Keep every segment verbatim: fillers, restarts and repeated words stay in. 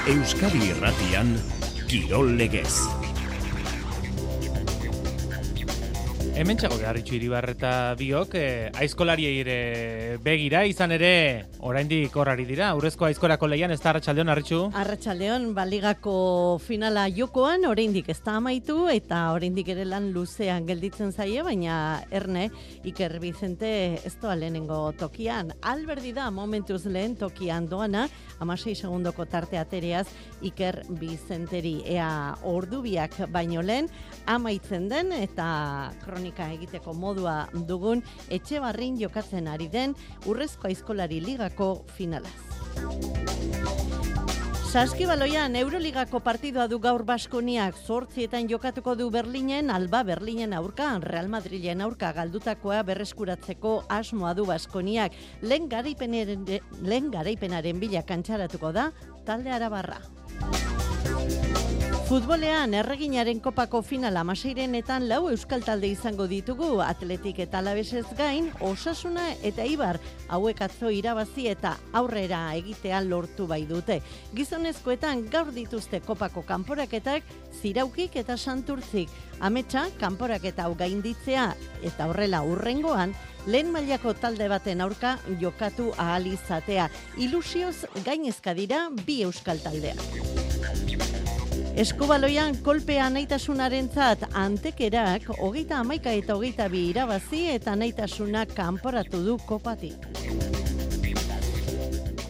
Euskadi Irratian, Kirol Legez. Hemen txago beharritxu Iribarreta biok, eh, aizkolariei ere begira, izan ere, oraindik horrari dira, aurrezko aizkorako lehian, ez da Arratsaldeon, Arritxu? Arratsaldeon, baligako finala jokoan, oraindik ez da amaitu, eta oraindik ere lan luzean gelditzen zaie, baina erne, Iker Bizente ez doa lehenengo tokian. Alberdi da momentuz lehen tokian doana, hamasei segundoko tarte atereaz, Iker Bizenteri, ea ordubiak baino lehen, amaitzen den, eta kronika egiteko modua dugun, Etxebarrin jokatzen ari den Urrezko Aizkolari Ligako finalaz. Saskibaloian Euroligako partidua du gaur Baskoniak, zortzietan jokatuko du Berlinen, Alba Berlinen aurka, Real Madrilen aurka galdutakoa berreskuratzeko asmoa du Baskoniak. Lehen garaipenaren, lehen garaipenaren bila kantxaratuko da talde arabarra. Futbolean, Erreginaren kopako finala hamaseirenetan lau euskal talde izango ditugu, Atletik eta Alabesez gain, Osasuna eta Eibar, hauek atzo irabazi eta aurrera egitea lortu bai dute. Gizonezkoetan gaur dituzte kopako kanporaketak, Ziraukik eta Santurtzik. Ametsa, kanporaketa hau gainditzea eta horrela hurrengoan, lehen mailako talde baten aurka jokatu ahal izatea. Ilusioz gainezka dira bi euskal taldeak. Eskubaloian kolpea naitasunarentzat Antekerak hogeita hamaika eta hogeita bi irabazi eta naitasuna kanporatu du kopatik.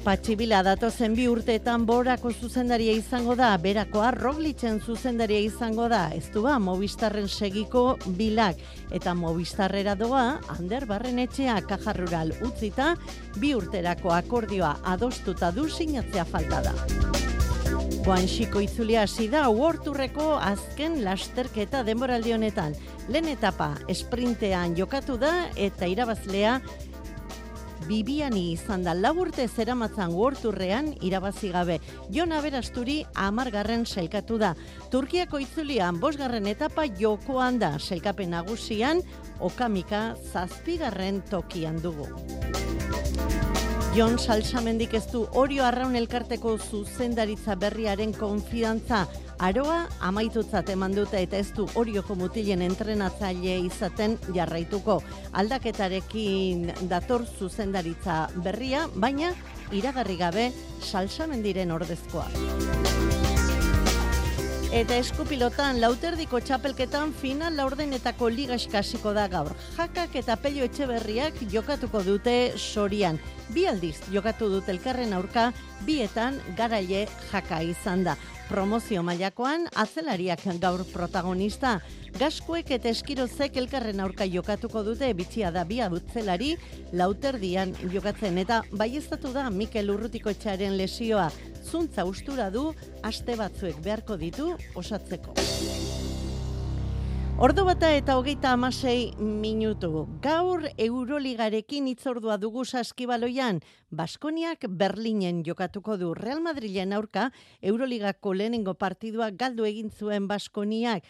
Patxibila datozen bi urteetan Borako zuzendaria izango da, Berakoa Roglicen zuzendaria izango da, ez du ba, Movistarren segiko Bilak, eta Movistarrera doa, Ander Barrenetxea Caja Rural utzita, bi urterako akordioa adostuta du sinatzea falta da. Guanxiko itzulia hasi da World Tourreko azken lasterketa denboraldi honetan. Lehen etapa esprintean jokatu da eta irabazlea Bibiani izan da, lau urte zeramatzan World Tourrean irabazi gabe. Jon Aberasturi hamargarren sailkatu da. Turkiako itzulian bosgarren etapa jokoan da, sailkapen nagusian Okamika zazpigarren tokian dugu. Jon Salsamendik ez du Orio Arraun elkarteko zuzendaritza berriaren konfidantza. Aroa amaitutzat eman dute eta ez du Orioko mutilen entrenatzaile izaten jarraituko. Aldaketarekin dator zuzendaritza berria, baina iragarri gabe Salsamendiren ordezkoa. Eta eskupilotan lauterdiko txapelketan final laurdenetako ligaxka hasiko da gaur. Jakak eta Pello Etxeberriak jokatuko dute Sorian. Bi aldiz jokatu dute elkarren aurka, bietan Garaile Jaka izan da. Promozio mailakoan atzelariak gaur protagonista. Gaskuek eta Eskirozek elkarren aurka jokatuko dute, bitxia da bi atzelari lauterdian jokatzen eta baieztatu da Mikel Urrutikoetxearen lesioa. Zuntza ustura du, aste batzuek beharko ditu osatzeko. Ordu bata eta hogeita hamasei minutu. Gaur Euroligarekin hitzordua dugu Saskibaloian. Baskoniak Berlinen jokatuko du. Real Madrilen aurka Euroligako lehenengo partidua galdu egin zuen Baskoniak.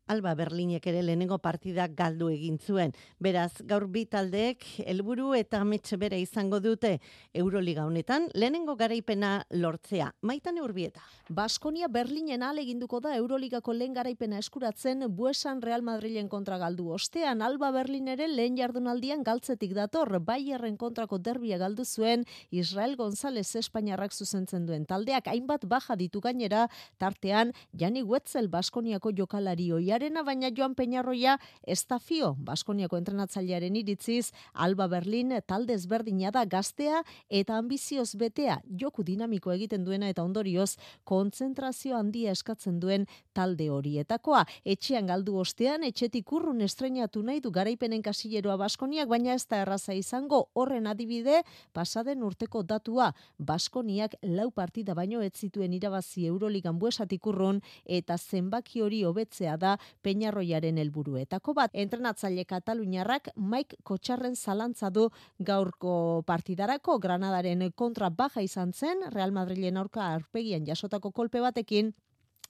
Alba Berlinek ere lehenengo partida galdu egin zuen. Beraz, gaur bi taldeek helburu eta amets bera izango dute Euroliga honetan lehenengo garaipena lortzea. Maitane Urbieta. Baskonia Berlinen ahaleginduko da Euroligako lehen garaipena eskuratzen Buesan Real Madrilen kontra galdu ostean. Alba Berlin ere lehen jardunaldian galtzetik dator, Bayerren kontrako derbia galdu zuen Israel González Espainiarrak zuzentzen duen taldeak hainbat baja ditu gainera, tartean Jani Wetzel Baskoniako jokalari oia Arena, baina Joan Peñarroia ez da fio. Baskoniako entrenatzailearen iritziz, Alba Berlin talde ezberdina da, gaztea eta ambizioz betea, joku dinamiko egiten duena eta ondorioz kontzentrazio handia eskatzen duen talde horietakoa. Etxean galdu ostean, etxetik urrun estreinatu nahi du garaipenen kasilleroa Baskoniak, baina ez da erraza izango. Horren adibide, pasaden urteko datua, Baskoniak lau partida baino ez zituen irabazi Euroligan Buesatik urrun eta zenbaki hori hobetzea da Peñarroiaren helburuetako bat. Entrenatzaile kataluniarrak Mike Kotxarren zalantza du gaurko partidarako. Granadaren kontra baja izan zen, Real Madrilen aurka aurpegian jasotako kolpe batekin,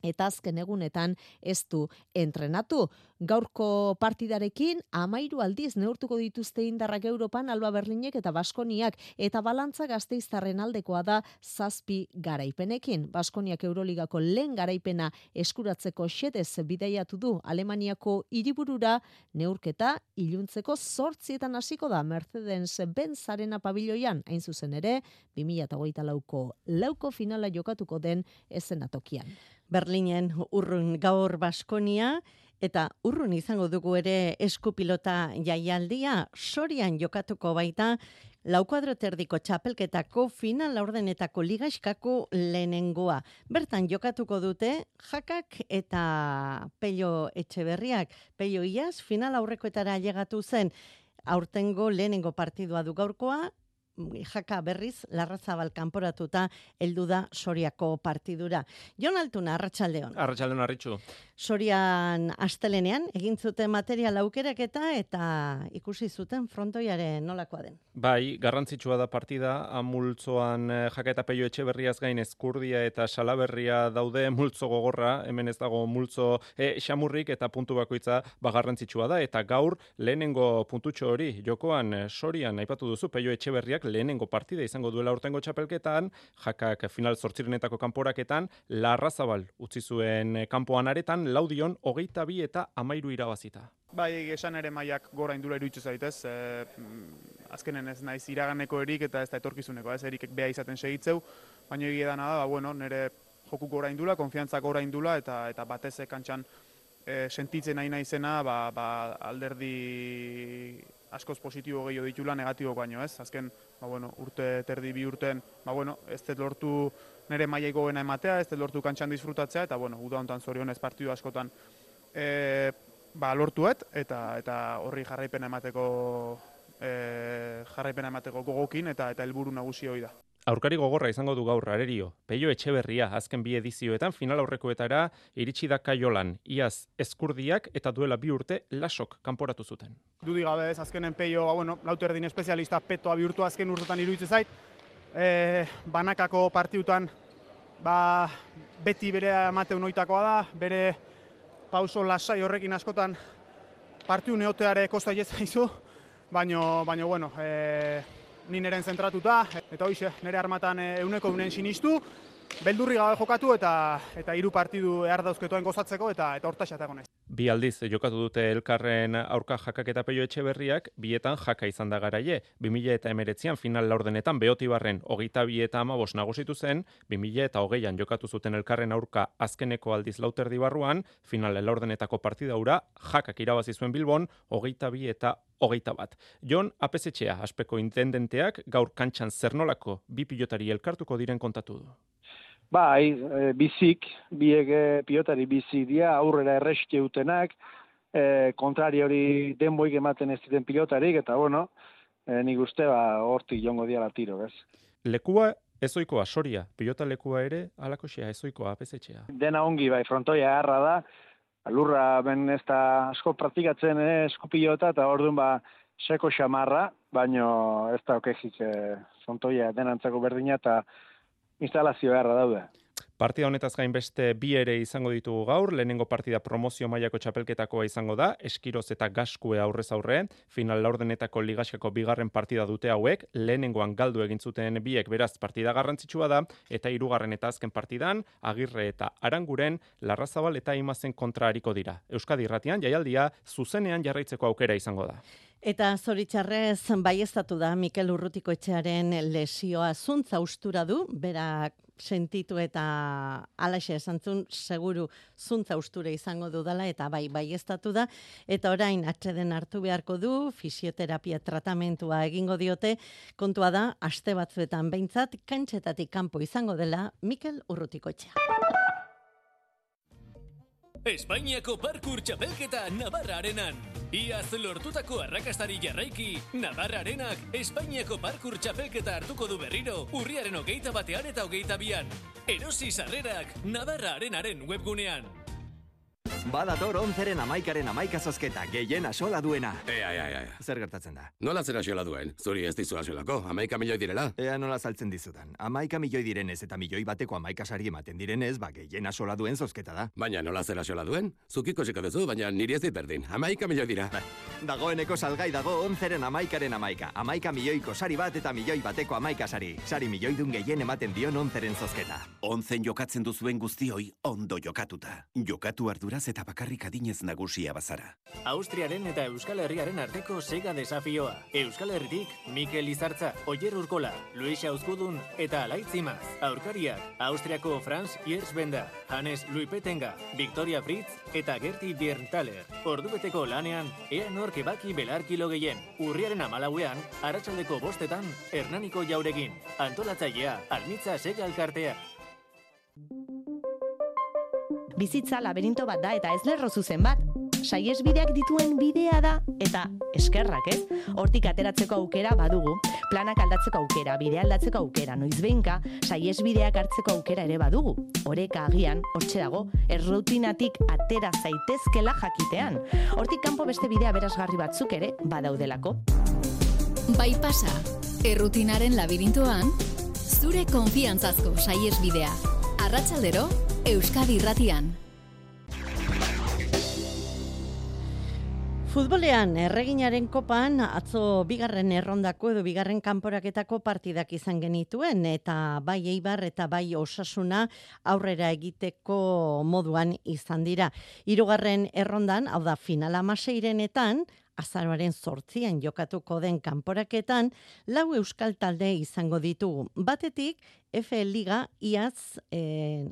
eta azken egunetan ez du entrenatu. Gaurko partidarekin amairu aldiz neurtuko dituzte indarrak Europan Alba Berlinek eta Baskoniak, eta balantza Gasteiztarren aldekoa da zazpi garaipenekin. Baskoniak Euroligako lehen garaipena eskuratzeko xedez bidaiatu du Alemaniako hiriburura, neurketa iluntzeko zortzietan hasiko da Mercedes-Benz Arena pabiloian, hain zuzen ere, bi mila hogeita lauko lauko finala jokatuko den eszenatokian. Berlinen urrun gaur Baskonia, eta urrun izango dugu ere eskupilota jaialdia, Sorian jokatuko baita lau kuadroterdiko txapelketako final laurdenetako ligaxkako lehenengoa. Bertan jokatuko dute Jakak eta Pello Etxeberriak. Pello iaz final aurrekoetara llegatu zen, aurtengo lehenengo partidua du gaurkoa, Jaka berriz Larrazabal kanporatuta heldu da Soriako partidura. Jon Altuna, arratsaldeon. Arratsaldeon, Arritxu. Sorian astelenean egin zuten material aukeraketa eta ikusi zuten frontoiaren nolakoa den. Bai, garrantzitsua da partida, multzoan Jaka eta Pello Etxeberriaz gain Ezkurdia eta Salaberria daude, multzo gogorra, hemen ez dago multzo e, xamurrik eta puntu bakoitza ba garrantzitsua da, eta gaur lehenengo puntutxo hori jokoan Sorian aipatu duzu, Pello Etxeberriak lehenengo partida izango duela urtengo txapelketan, Jakak final zortzirenetako kanporaketan, Larrazabal utzi zuen kanpoan aretan, laudion hogeita bi eta amairu irabazita. Bai, esan ere mailak gora indula iruditu zaitez, e, azkenen ez naiz iraganeko erik eta ez da etorkizuneko, ez erik beha izaten segitzeu, baina egia dana da, ba, bueno, nire joku gora indula, konfiantzak gora indula, eta, eta batez kantxan e, sentitzen nahi naizena, ba, ba, alderdi askoz positibo gehiago ditula, negatibo baino, ez? Azken, ba, bueno, urte terdi bi urten, ba, bueno, ez dut lortu nire mailai goena ematea, ez dut lortu kantxan disfrutatzea, eta, bueno, uda hontan zorionez partidu askotan e, ba, lortuet, eta eta horri jarraipena emateko e, jarraipena emateko gogokin, eta eta helburu nagusi hori da. Aurkari gogorra izango du gaur Arerio. Pello Etxeberria azken bi edizioetan final aurrekoetara iritsi da Kaiolan. Iaz Ezkurdiak eta duela bi urte Lasok kanporatu zuten. Dudi gabe ez, azkenen Pello, ba, bueno, lauterdin espezialista petoa bihurtu azken urtetan iruditzen zait. E, banakako partiutan ba, beti bere amateun oitakoa da, bere pauso lasai horrekin askotan partiu neoteare kosta jezaizu, baino, baino, bueno, e, ni neren zentratuta, eta hoize, nere armatan euneko unen sinistu, beldurri gabe jokatu eta eta hiru partidu ehar dauzketoen gozatzeko eta eta hortaxat egon ez. Bi aldiz jokatu dute elkarren aurka Jakak eta Pello Etxeberriak, bietan Jaka izan da garaie. bi mila hemeretzian final laurdenetan Beotibarren hogeita bi eta hamabost nagusitu zen, bi mila hogeian jokatu zuten elkarren aurka azkeneko aldiz lauterdi barruan, final laurdenetako partida hura Jakak irabazi zuen Bilbon hogeita bi eta hogeita bat. Jon Apesetxea, aspeko intendenteak, gaur kantxan zernolako bi pilotari elkartuko diren kontatu du. Bai, e, bizik, biek e, pilotari bizik dira, aurrera erreske utenak, e, kontrari hori denboik ematen ez diren pilotarik, eta bueno, e, nik uste ba, hortik jongo diala tiro, ez? Lekua ezoikoa, Soria, pilota lekua ere, alakoxea, ezoikoa, Apesetxea. Dena ongi, bai, frontoia harra da, lurra ben ez da asko praktikatzen eh, eskupilota, eta orduan ba, seko xamarra, baino ez da okexik e, frontoia denantzako berdina, eta instalazio beharra daude. Partida honetaz gain beste bi ere izango ditugu gaur, lehenengo partida promozio mailako txapelketakoa izango da, Eskiroz eta Gaskue aurrez aurre, final laurdenetako ligaxako bigarren partida dute hauek, lehenengoan galdu egin zuten biek beraz partida garrantzitsua da, eta hirugarren eta azken partidan, Agirre eta Aranguren, Larrazabal eta Imazen kontra hariko dira. Euskadi Irratian jaialdia zuzenean jarraitzeko aukera izango da. Eta zoritxarrez baieztatu da Mikel Urrutikoetxearen lesioa zuntza ustura du, berak sentitu eta alaxe esantzun seguru zuntza ustura izango dudala eta bai baieztatu da, eta orain atseden hartu beharko du, fisioterapia tratamentua egingo diote, kontua da, aste batzuetan behintzat, kantxetatik kanpo izango dela Mikel Urrutikoetxea. Espainiako parkur txapelketa Navarra Arenan. Iaz lortutako arrakastari jarraiki, Navarra Arenak Espainiako parkur txapelketa hartuko du berriro, urriaren hogeita batean eta hogeita bian. Erosi sarrerak Navarra Arenaren webgunean. Badator onzeren amaikaren amaika zozketa, gehien asola duena. Ea, ea, ea. Zer gertatzen da? Nola zer asola duen? Zuri ez dizu asolako, amaika milioi direla? Ea nola saltzen dizudan. Amaika milioi direnez eta milioi bateko amaika sari ematen direnez, ba, gehien asola duen zozketa da. Baina nola zer asola duen? Zukiko seko duzu, baina niri ez dit berdin. Amaika milioi dira. Ba, dagoeneko salgai dago onzeren amaikaren amaika. Amaika milioiko sari bat eta milioi bateko amaika sari. Sari milioi dun gehien ematen dion onzeren zozketa. Onzen jokatzen duzuen guztioi ondo jokatuta. Jokatu arduraz eta bakarrik adinez nagusia bazara. Austriaren eta Euskal Herriaren arteko sega desafioa. Euskal Herritik Mikel Izartza, Oier Urkola, Luis Auzkudun eta Alaitzimaz. Aurkariak Austriako Franz Hiersbenda, Hannes Luipetenga, Victoria Fritz eta Gerti Bierntaler. Ordubeteko lanean, ea nork ebaki belarkilo gehien. Urriaren amalauean, arratsaldeko bostetan, Hernaniko jauregin. Antolatzailea, Almitza Sega Elkartea. Bizitza laberinto bat da eta ez lerro zuzen bat. Saihesbideak dituen bidea da eta eskerrak, ez? Hortik ateratzeko aukera badugu. Planak aldatzeko aukera, bidea aldatzeko aukera, noizbehinka saihesbideak hartzeko aukera ere badugu. Oreka agian, hortxe dago, errutinatik atera zaitezkela jakitean. Hortik kanpo beste bidea berazgarri batzuk ere badaudelako. Bai pasa, errutinaren labirintoan, zure konfiantzazko saihesbidea. Arratsaldero, Euskadi Irratian. Futbolean, erreginaren kopan, atzo bigarren errondako edo bigarren kanporaketako partidak izan genituen, eta bai Eibar eta bai Osasuna aurrera egiteko moduan izan dira. Hirugarren errondan, hau da final hamaseirenetan, azaroaren zortzian jokatuko den kanporaketan, lau euskal talde izango ditugu. Batetik, F Liga iaz eh,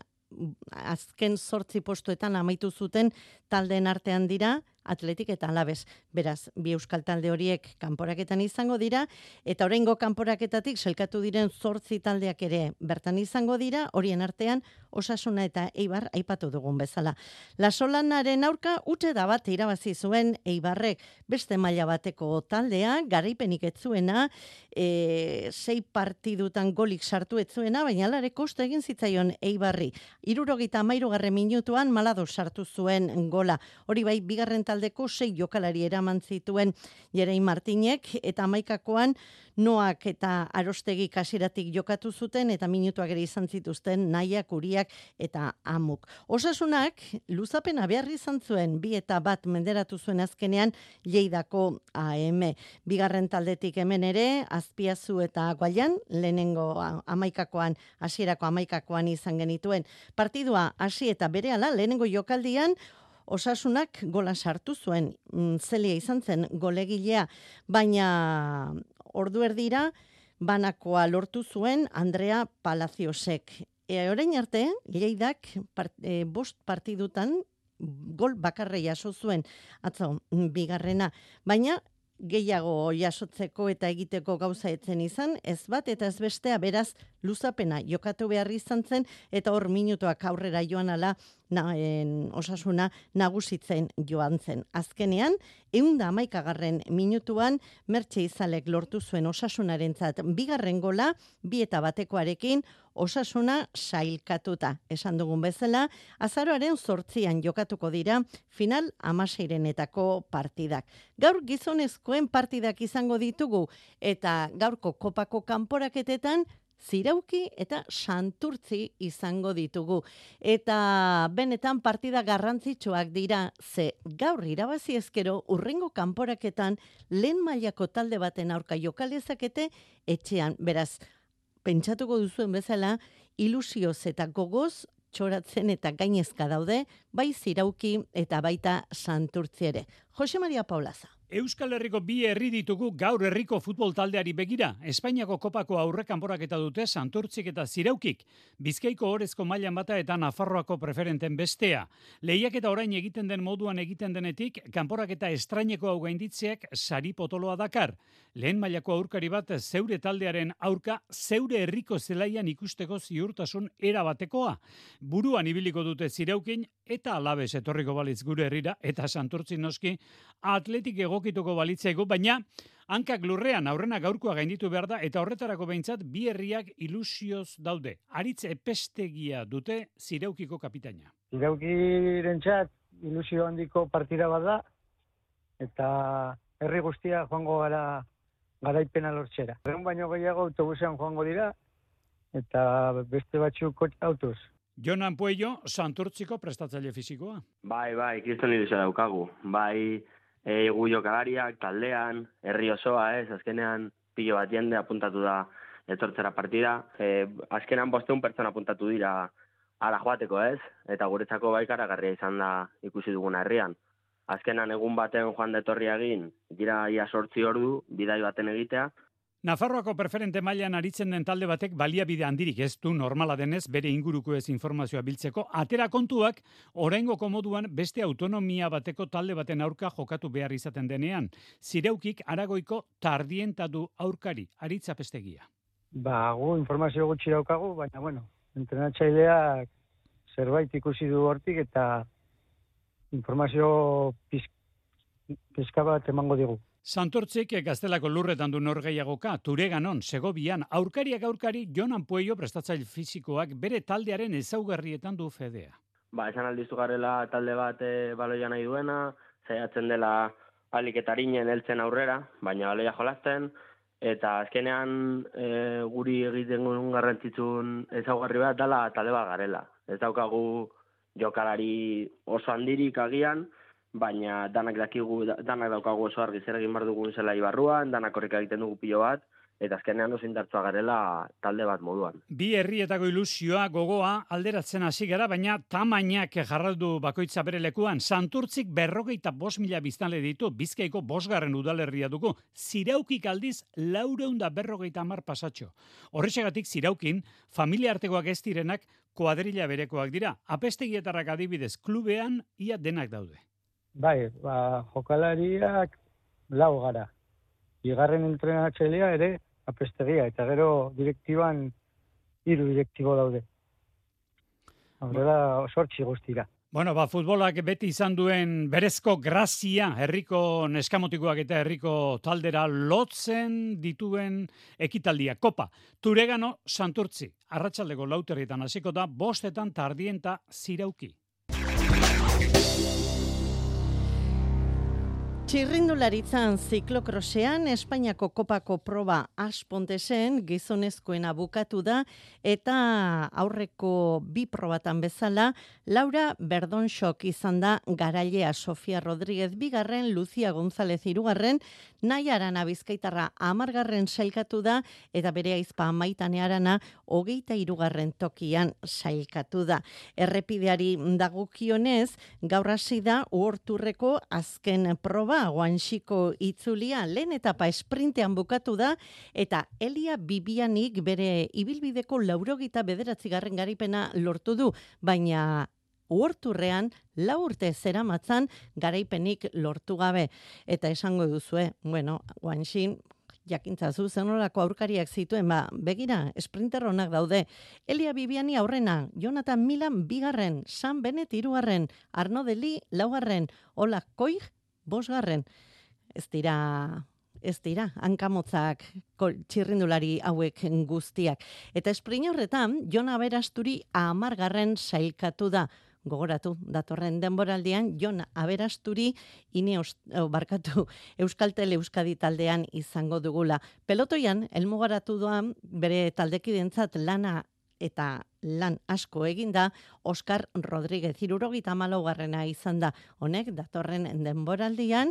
azken zortzi postuetan amaitu zuten taldeen artean dira, Atletik eta Alabes. Beraz, bi euskal talde horiek kanporaketan izango dira, eta oraingo kanporaketatik selkatu diren zortzi taldeak ere bertan izango dira, horien artean Osasuna eta Eibar aipatu dugun bezala. Lasolanaren aurka utxe da bat irabazi zuen Eibarrek, beste maila bateko taldea, garaipenik ez zuena, e, sei partidutan golik sartu ez zuena, baina alare koste egin zitzaion Eibarri. Hirurogeita hamairugarren minutuan Malado sartu zuen gola. Hori bai, bigarren taldeko sei jokalari eraman zituen Jerein Martinek, eta hamaikakoan Noak eta Arostegi kasiratik jokatu zuten, eta minutuak ere izan zituzten Naiak, Uriak eta Amuk. Osasunak luzapena behar izan zuen, bi eta bat menderatu zuen azkenean Lleidako A M. Bigarren taldetik hemen ere, Azpiazu eta Guaian, lehenengo hamaikakoan, hasierako hamaikakoan izan genituen. Partidua hasi eta berehala lehenengo jokaldian, Osasunak gola sartu zuen, Zelia izan zen golegilea, baina ordu erdira banakoa lortu zuen Andrea Palaciosek. E, orain arte, Lleidak part, e, bost partidutan gol bakarra jaso zuen, atzo, bigarrena, baina gehiago jasotzeko eta egiteko gauza etzen izan, ez bat eta ez bestea, beraz luzapena jokatu behar izan zen, eta hor minutuak aurrera joan ala na, en, Osasuna nagusitzen joan zen. Azkenean, ehun eta hamaikagarren minutuan Mertxe Izalek lortu zuen Osasunarentzat bigarren gola, bi eta batekoarekin Osasuna sailkatuta. Esan dugun bezala, azaroaren zortzian jokatuko dira final hamaseirenetako partidak. Gaur gizonezkoen partidak izango ditugu, eta gaurko kopako kanporaketetan Zirauki eta Santurtzi izango ditugu. Eta benetan partida garrantzitsuak dira, ze gaur irabazi ezkero urrengo kanporaketan lehen mailako talde baten aurka jokalezakete etxean. Beraz, pentsatuko duzuen bezala, ilusioz eta gogoz txoratzen eta gainezka daude, bai Zirauki eta baita Santurtzi ere. Jose Maria Paulaza. Euskal Herriko bi herri ditugu gaur herriko futbol taldeari begira. Espainiako kopako aurre kanporaketa dute Santurtzik eta Ziraukik. Bizkaiko orezko mailan bata eta Nafarroako preferenten bestea. Lehiaketa orain egiten den moduan egiten denetik, kanporaketa estraineko hau gainditzeak sari potoloa dakar. Lehen mailako aurkari bat zeure taldearen aurka zeure herriko zelaian ikusteko ziurtasun erabatekoa. Buruan ibiliko dute Ziraukin eta Alabes etorriko balitz gure herrira eta Santurtzi noski Atletik egokituko balitzaigu, baina hankak lurrean aurrena gaurkoa gainditu behar da eta horretarako behintzat bi herriak ilusioz daude. Aritz Epestegia dute Ziraukiko kapitaina. Ziraukirentzat ilusio handiko partida bat da, eta herri guztia joango gara garaipena lortzera. Egun baino gehiago autobusean joango dira, eta beste batzuk autoz. Jonan Puello, Santurtziko prestatzaile fisikoa. Bai, bai, kriston ilusio daukagu. Bai, e, gu jokalariak, taldean, herri osoa, ez, azkenean pilo bat jende apuntatu da etortzera partida. E, azkenean bosteun pertsona apuntatu dira ara joateko, ez? Eta guretzako bai karagarria izan da ikusi duguna herrian. Azkenan egun baten joan detorri egin, dira ia sortzi ordu, bidai baten egitea. Nafarroako preferente mailan aritzen den talde batek baliabide handirik ez du normala denez bere inguruko ez informazioa biltzeko. Atera kontuak, oraingoko moduan beste autonomia bateko talde baten aurka jokatu behar izaten denean. Zireukik Aragoiko tardientadu aurkari, Aritza Pestegia. Ba, gu informazio gutxi daukagu, baina bueno, entrenatzaileak zerbait ikusi du hortik eta informazio pizka bat emango digu. Santurtzik Gaztelako lurretan du norgeiagoka, Tureganon, Segovian, aurkariak aurkari Jonan Puello prestatzaile fisikoak bere taldearen ezaugarrietan du fedea. Ba, esan aldiztu garela talde bat e, baloia nahi duena, saiatzen dela aliketariñen heltzen aurrera, baina baloia jolasten, eta azkenean e, guri egiten gun garrantzitsuen ezaugarri bat dela talde bat garela. Ez daukagu jokalari oso handirik agian, baina danak dakigu, danak daukagu oso argi zer egin behar dugun zela ibarruan, danak horrek egiten dugu pilo bat, eta azkenean oso indartsua garela talde bat moduan. Bi herrietako ilusioa, gogoa, alderatzen hasi gara, baina tamainak jarraldu bakoitza bere lekuan. Santurtzik berrogeita bost mila biztanle ditu, Bizkaiko bosgarren udalerria dugu. Ziraukik aldiz, laureunda berrogeita hamar pasatxo. Horrexegatik Ziraukin, familia artekoak ez direnak, kuadrilla berekoak dira. Apestegietarrak adibidez, klubean ia denak daude. Bai, ba, jokalariak lau gara. Bigarren entrenatzailea ere apestegia, eta gero direktiban hiru direktibo daude. Horrela sortzi guztira. Bueno, ba, futbolak beti izan duen berezko grazia, herriko neskamotikoak eta herriko taldera lotzen dituen ekitaldia. Kopa, Turegano Santurtzi, arratsaldeko lauterrietan hasiko da, bostetan tardienta Zirauki. Txirrindularitzan ziklokrosean Espainiako kopako proba Aspontesen gizonezkoena bukatu da eta aurreko bi probatan bezala Laura Berdonxok izan da garailea, Sofia Rodríguez bigarren, Lucia González hirugarren, Naia Arana Bizkaitarra hamargarren sailkatu da eta bere aizpa Maitane Arana hogeita hirugarren tokian sailkatu da. Errepideari dagokionez gaur hasi da Uhorturreko azken proba, Guanxiko itzulia lehen etapa esprintean bukatu da eta Elia Bibianik bere ibilbideko laurogeita bederatzigarren garipena lortu du, baina Uhorturrean lau urte zeramatzan garaipenik lortu gabe. Eta esango duzue, bueno, Guanxin jakintzazu zenolako aurkariak zituen, ba, begira, sprinter honak daude. Elia Bibiani aurrena, Jonathan Milan bigarren, San Benet hirugarren, Arno Deli laugarren, Ola Koig bosgarren. Ez dira, ez dira, hankamotzak txirrindulari hauek guztiak. Eta esprint horretan, Jon Aberasturi hamargarren sailkatu da. Gogoratu, datorren denboraldian, Jon Aberasturi Ineos, oh, barkatu, Euskaltel Euskadi taldean izango dugula. Pelotoian, elmugaratu doan, bere taldekidentzat lana eta lan asko eginda, Oskar Rodríguez hirurogeita hamalaugarrena izan da. Honek datorren denboraldian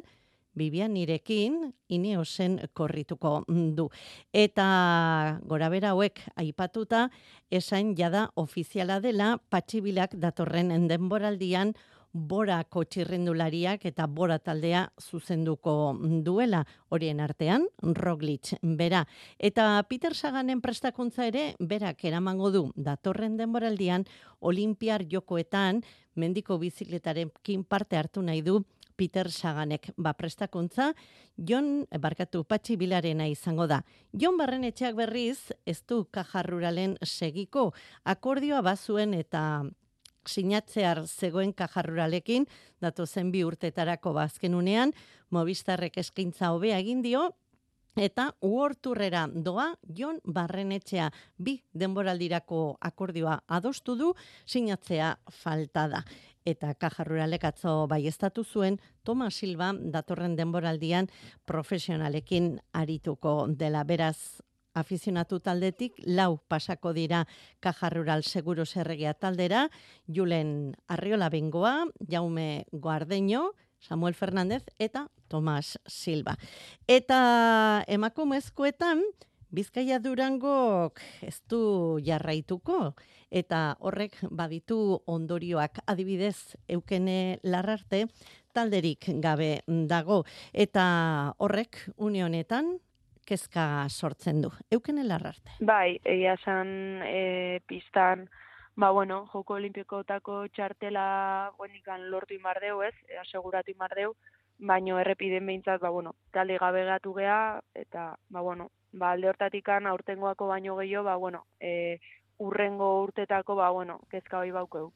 Bibianirekin Ineosen korrituko du. Eta gorabera hauek aipatuta, esan jada ofiziala dela Patxibilak datorren denboraldian Borako txirrindulariak eta Bora taldea zuzenduko duela, horien artean Roglic bera. Eta Peter Saganen prestakuntza ere berak eramango du datorren denboraldian Olimpiar Jokoetan mendiko bizikletarekin parte hartu nahi du Peter Saganek. Ba, prestakuntza Jon barkatu Patxi Bilarena izango da. Jon Barrenetxeak berriz ez du Caja Ruralen segiko, akordioa bazuen eta sinatzear zegoen Caja Ruralekin, datozen bi urtetarako bazkenunean, Movistarrek eskaintza hobea egin dio, Eta uorturrera doa Jon Barrenetxea bi denboraldirako akordioa adostu du, sinatzea falta da. Eta Caja Ruralek atzo baieztatu zuen Tomas Silva datorren denboraldian profesionalekin arituko dela. Beraz, afizionatu taldetik lau pasako dira Caja Rural Seguros Erregia taldera, Julen Arriola Bengoa, Jaume Guardeño, Samuel Fernández eta Tomas Silva. Eta emakumezkoetan Bizkaia Durangok ez du jarraituko, eta horrek baditu ondorioak, adibidez Eukene Larrarte talderik gabe dago, eta horrek une honetan kezka sortzen du. Eukene Larrarte. Bai, egia esan e, pistan, ba bueno, Joko Olimpikoetako txartela buenikan lortu imardeu, ez, e, aseguratu imardeu, baino errepiden behintzat, ba bueno, talde gabe gatu gea, eta, ba bueno, ba alde hortatikan aurtengoako baino gehiago, ba bueno, e, urrengo urtetako, ba bueno, kezka hoi baukeu.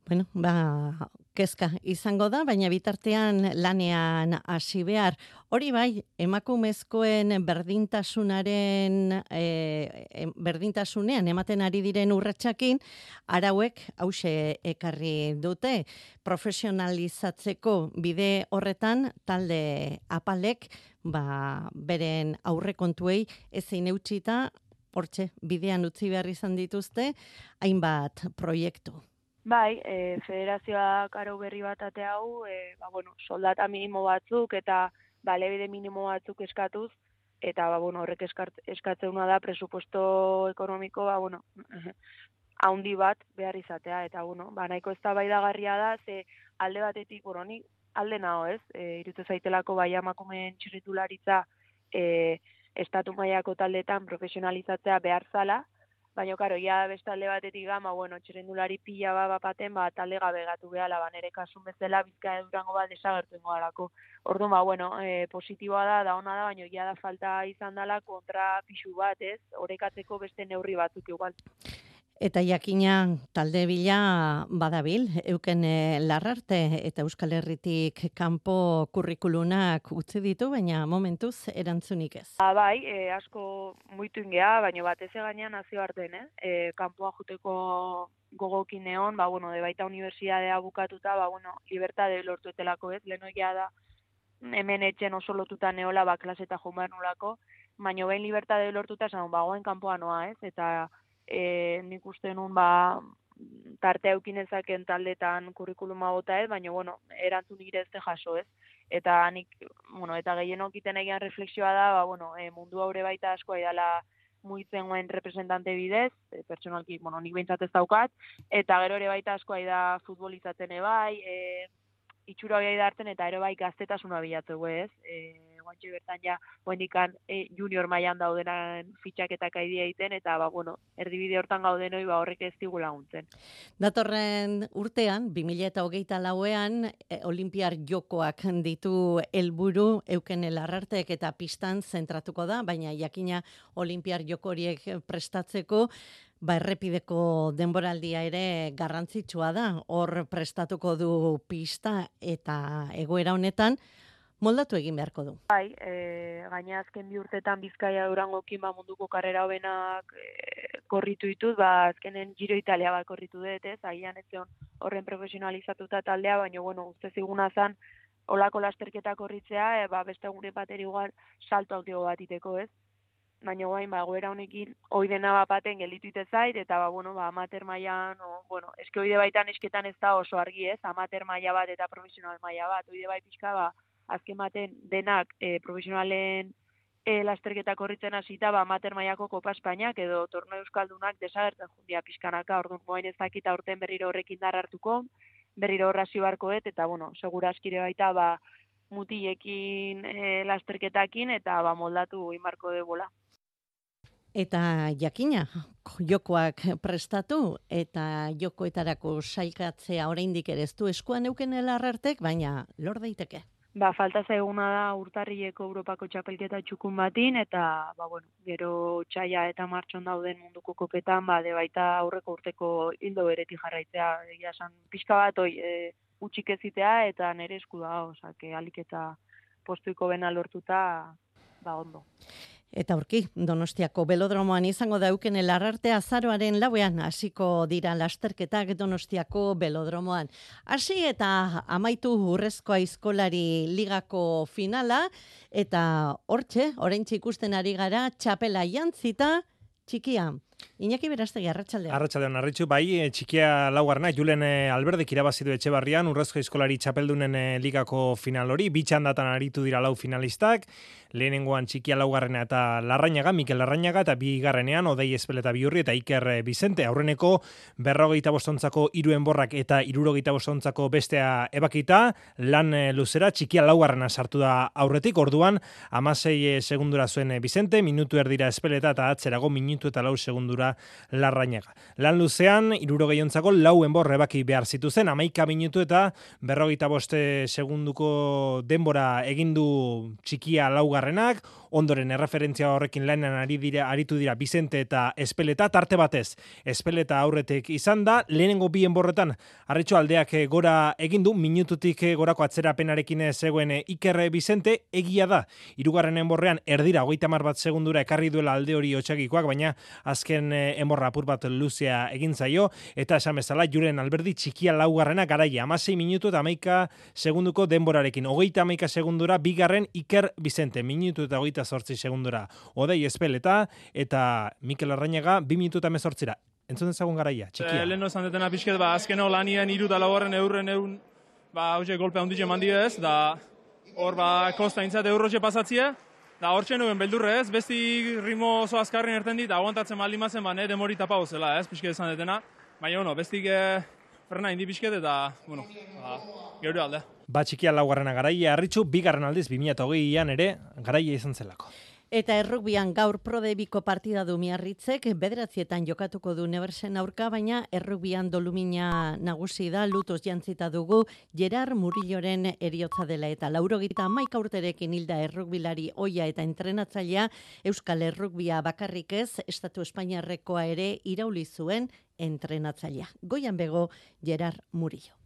Bueno, ba, kezka izango da, baina bitartean lanean hasi behar. Hori bai, emakumezkoen berdintasunaren e, berdintasunean ematen ari diren urratsakin, arauek hause ekarri dute. Profesionalizatzeko bide horretan talde apalek ba, beren aurrekontuei ezin eutxita, hortxe bidean utzi behar izan dituzte, hainbat proiektu. Bai, e, federazioak arau berri bat ate hau, e, ba, bueno, soldata minimo batzuk eta balebide minimo batzuk eskatuz, eta ba, bueno, horrek eskatzeuna da presupuesto ekonomiko, ba, bueno, haundi bat behar izatea, eta bueno, ba, nahiko eztabaidagarria da, ze alde batetik, bueno, nik alde nago, ez? E, irutu zaitelako bai emakumeen txirrindularitza e, estatu mailako taldetan profesionalizatzea behar zala, baina, karo, ja beste alde batetik gama, bueno, txirrindulari pila ba bapaten, ba, talde gabe gatu behala, ba, nere kasun bezala, Bizkaia Durango bat desagertu ingo galako. Orduan, ba, bueno, e, positiboa da, da ona da, baina ja da falta izan dela kontra pixu bat, ez? Orekatzeko beste neurri batzuk igual. Eta jakina talde bila badabil, Eukene Larrarte eta Euskal Herritik kanpo kurrikulunak utzi ditu, baina momentuz erantzunik ez. Ba, bai, e, asko muitu ingea, baina batez gainean nazio arten, eh? E, kanpoa juteko gogokin egon, ba, bueno, de baita unibertsiadea bukatuta, ba, bueno, libertade lortuetelako, ez? Lehenoia da, hemen etxen oso lotuta neola, ba, klaseta joan behar nolako, baina behin libertade lortuta, esan, ba, goen kanpoa noa, ez? Eta E, nik uste nun ba, tarte eukinezaken taldetan kurrikuluma bota ez, baina bueno, erantzun nire ezte jaso ez. Eta nik, bueno, eta gehienok iten egian refleksioa da, ba, bueno, e, mundu haure baita asko aidala muitzen guen representante bidez, e, pertsonalki, bueno, nik behintzat ez daukat, eta gero ere baita asko aida futbolizatzen ebai, e, itxura hori hartzen eta ere bai gaztetasuna bilatu ez, e, guantxe bertan ja, guendikan e, junior mailan daudenan fitxaketak aidea egiten, eta, ba, bueno, erdibide hortan gaudenoi, ba, horrek ez digu laguntzen. Datorren urtean, bi mila hogeita lauean, e, Olimpiar Jokoak ditu helburu Eukene Larrartek eta pistan zentratuko da, baina jakina Olimpiar Joko horiek prestatzeko, ba, errepideko denboraldia ere garrantzitsua da, hor prestatuko du pista eta egoera honetan, moldatu egin beharko du. Bai, e, gaina azken bi urtetan Bizkaia Durangokin ba, munduko karrera hobenak e, korritu ditut, ba, azkenen Giro Italia bat korritu dut, ez, agian ez horren profesionalizatuta taldea, baina, bueno, uste ziguna zan, olako lasterketa korritzea, e, ba, beste gure bateri igual salto autio bat iteko, ez? Baina guain, ba, goera honekin, oidena bapaten gelditu ite zait, eta, ba, bueno, ba, amater mailan, o, bueno, eske oide baitan esketan ez da oso argi, ez, amater maila bat eta profesional maila bat, oide bai pixka, ba, azken baten denak e, profesionalen e, lasterketa korritzen hasita, ba, amater mailako Kopa Espainiak edo torneo euskaldunak desagertzen jundia pixkanaka, orduan moain ez dakit aurten berriro horrekin dar hartuko, berriro horrazio barkoet, eta, bueno, segura askire baita, ba, mutilekin e, lasterketakin, eta, ba, moldatu inbarko debola. Eta jakina, jokoak prestatu eta jokoetarako sailkatzea oraindik ere ez du eskuan Eukene Larrartek, baina lor daiteke. Ba, falta zaiguna da urtarrileko Europako txapelketa txukun batin, eta, ba, bueno, gero txaia eta martxon dauden munduko kopetan, ba, de baita aurreko urteko hildo beretik jarraitzea, egia esan, pixka bat, oi, e, utxik ezitea, eta nire esku da, osake, alik eta postuiko bena lortuta, ba ondo. Eta aurki, Donostiako belodromoan izango dauken Larrarte azaroaren lauean hasiko dira lasterketak Donostiako belodromoan. Hasi eta amaitu Urrezko Aizkolari ligako finala, eta hortxe, oraintxe ikusten ari gara, txapela jantzita txikia. Iñaki Berastegi, arratsaldean. Arratsaldean, arritxu, bai, txikia laugarna, Julen Alberdek irabazi du Etxebarrian, Urrezko Aizkolari txapeldunen ligako final hori, bitxandatan aritu dira lau finalistak, lehenengoan txikia laugarrena eta Larrañaga, Mikel Larrañaga, eta bigarrenean Odei Espeleta Biurri eta Iker Bizente, aurreneko berrogeita bostontzako hiru enborrak eta hirurogeita bostontzako bestea ebakita, lan luzera txikia laugarrena sartu da aurretik, orduan hamasei segundura zuen Bizente, minutu erdira Espeleta eta atzerago minutu eta lau segundura Larrañaga. Lan luzean, hirurogeiontzako lau enbor ebaki behar zituzen, hamaika minutu eta berrogeita boste segunduko denbora egindu txikia laugarrenak, ondoren erreferentzia horrekin lanean ari dira, aritu dira Bizente eta Espeleta, tarte batez Espeleta aurretik izan da, lehenengo bi enborretan Arritxo aldeak gora egindu, minututik gorako atzerapenarekin zegoen Iker Bizente, egia da, hirugarren enborrean erdira, hogeita hamar bat segundura ekarri duela alde hori otsagikoak, baina azken enborra apur bat luzea egin zaio, eta esan bezala Julen Alberdi txikia laugarrena garaia, hamasei minutu eta hamaika segunduko denborarekin, hogeita hamaika segundura bigarren Iker Bizente, minutu eta hogeita zortzi segundura Odei Espeleta, eta Mikel Larrañaga bi minutu eta hemezortzira. Entzun ezagun garaia, txikia. E, Lehen nozan detena pixket, ba, azkeno lanien hiru eta laugarren eurren egun, ba, hauze golpe handitxe mandidez, da hor, ba, kosta intzat eurrotxe pasatzia, da hor txenuen beldurre ez, besti ritmo oso azkarren erten dit, aguantatzen maldin mazen, ba, ne demori tapa hozela ez, pixket esan detena, baina, bueno, bestik eh, frena indi pixket, eta, bueno, ba, geure alde. Ba, txikia laugarrena garaia, Arritxu, bigarren aldiz, bi mila hogeian ere, garaia izan zelako. Eta errugbian gaur prodebiko partida du Miarritzek, bederatzietan jokatuko du Nebersen aurka, baina errugbian dolumina nagusi da, lutos jantzita dugu, Gerard Murilloren eriotza dela, eta laurogita hamaika urterekin hilda errugbilari oia eta entrenatzailea, Euskal Errugbia bakarrik ez, Estatu Espainiarrekoa ere irauli zuen entrenatzailea. Goian bego, Gerard Murillo.